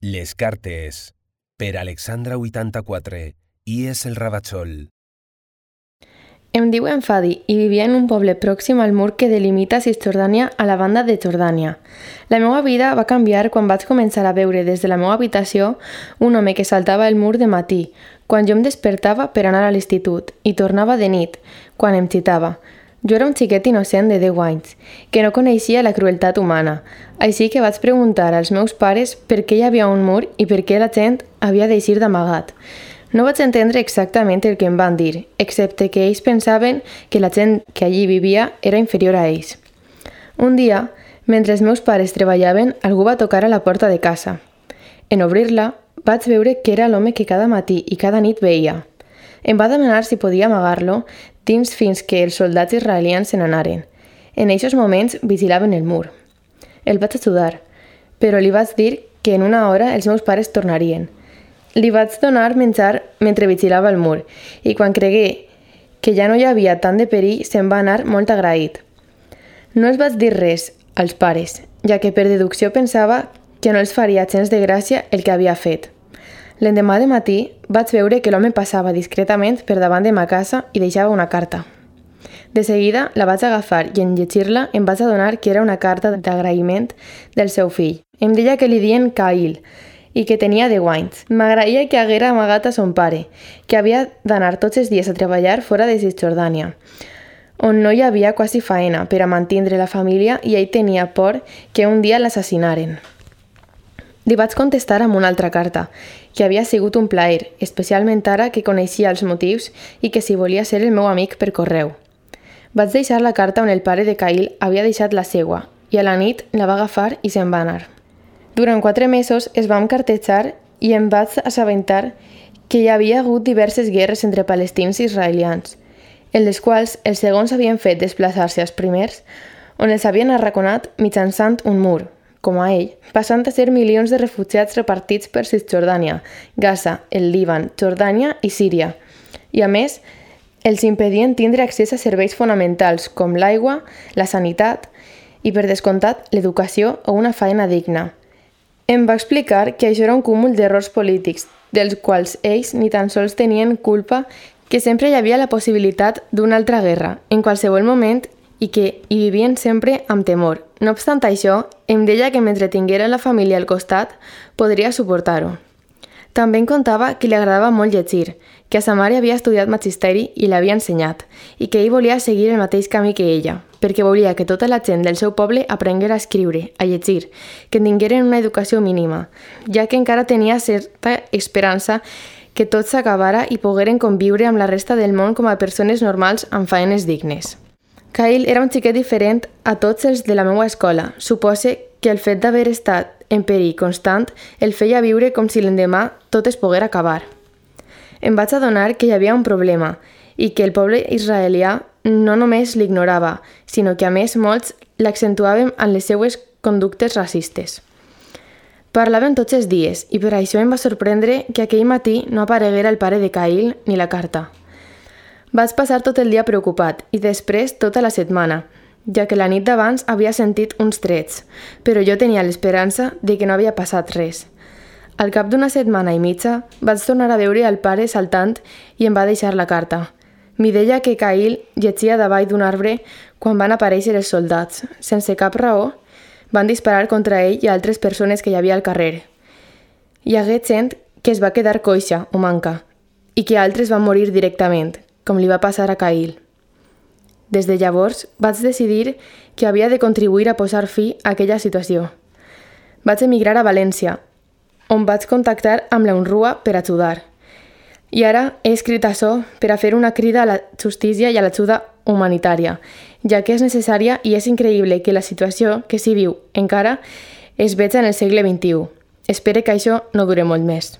Les cartes, per Alexandra 84, i és el Ravachol. Em diuen Fadi i vivia en un poble pròxim al mur que delimita Cisjordània a la banda de Jordània. La meva vida va canviar quan vaig començar a veure des de la meva habitació un home que saltava el mur de matí, quan jo em despertava per anar a l'institut, i tornava de nit, quan em xitava. Jo era un xiquet innocent de 10 anys, que no coneixia la crueltat humana, així que vaig preguntar als meus pares per què hi havia un mur i per què la gent havia d'eixir d'amagat. No vaig entendre exactament el que em van dir, excepte que ells pensaven que la gent que allí vivia era inferior a ells. Un dia, mentre els meus pares treballaven, algú va tocar a la porta de casa. En obrir-la, vaig veure que era l'home que cada matí i cada nit veia. Em va demanar si podia amagar-lo dins fins que els soldats israelians se n'anaren. En aquests moments vigilaven el mur. El vaig ajudar, però li vaig dir que en una hora els meus pares tornarien. Li vaig donar menjar mentre vigilava el mur i quan cregué que ja no hi havia tant de perill se'n va anar molt agraït. No els vaig dir res als pares, ja que per deducció pensava que no els faria gens de gràcia el que havia fet. L'endemà de matí vaig veure que l'home passava discretament per davant de ma casa i deixava una carta. De seguida la vaig agafar i en llegir-la em vaig adonar que era una carta d'agraïment del seu fill. Em deia que li dien Cail i que tenia 10 anys. M'agraïa que haguera amagat a son pare, que havia d'anar tots els dies a treballar fora de Cisjordània, on no hi havia quasi faena per a mantindre la família i ell tenia por que un dia l'assassinaren. Li vaig contestar amb una altra carta, que havia sigut un plaer, especialment ara que coneixia els motius i que si volia ser el meu amic per correu. Vaig deixar la carta on el pare de Cail havia deixat la seua i a la nit la va agafar i se'n va anar. Durant 4 mesos es vam cartejar i em vaig assabentar que hi havia hagut diverses guerres entre palestins i israelians, en les quals els segons havien fet desplaçar-se als primers, on els havien arraconat mitjançant un mur, com a ell, passant a ser milions de refugiats repartits per Cisjordània, Gaza, el Líban, Jordània i Síria. I a més, els impedien tindre accés a serveis fonamentals com l'aigua, la sanitat i, per descomptat, l'educació o una feina digna. Em va explicar que això era un cúmul d'errors polítics, dels quals ells ni tan sols tenien culpa, que sempre hi havia la possibilitat d'una altra guerra, en qualsevol moment, i que hi vivien sempre amb temor. No obstant això, em deia que mentre tinguera la família al costat, podria suportar-ho. També em contava que li agradava molt llegir, que a sa mare havia estudiat magisteri i l'havia ensenyat, i que ell volia seguir el mateix camí que ella, perquè volia que tota la gent del seu poble aprenguera a escriure, a llegir, que tingueren una educació mínima, ja que encara tenia certa esperança que tot s'acabara i pogueren conviure amb la resta del món com a persones normals amb faenes dignes. Cail era un xiquet diferent a tots els de la meva escola. Supose que el fet d'haver estat en perill constant el feia viure com si l'endemà tot es poguera acabar. Em vaig adonar que hi havia un problema i que el poble israelià no només l'ignorava, sinó que a més molts l'accentuàvem en les seues conductes racistes. Parlaven tots els dies i per això em va sorprendre que aquell matí no apareguera el pare de Cail ni la carta. Vaig passar tot el dia preocupat i després tota la setmana, ja que la nit d'abans havia sentit uns trets, però jo tenia l'esperança de que no havia passat res. Al cap d'una setmana i mitja vaig tornar a veure al pare saltant i em va deixar la carta. M'hi deia que Cail llegia davall d'un arbre quan van aparèixer els soldats. Sense cap raó, van disparar contra ell i altres persones que hi havia al carrer. Hi hagué gent que es va quedar coixa o manca i que altres van morir directament, com li va passar a Cail. Des de llavors vaig decidir que havia de contribuir a posar fi a aquella situació. Vaig emigrar a València, on vaig contactar amb la UNRWA per ajudar. I ara he escrit això per a fer una crida a la justícia i a l'ajuda humanitària, ja que és necessària i és increïble que la situació que s'hi viu encara es veja en el segle XXI. Espero que això no dure molt més.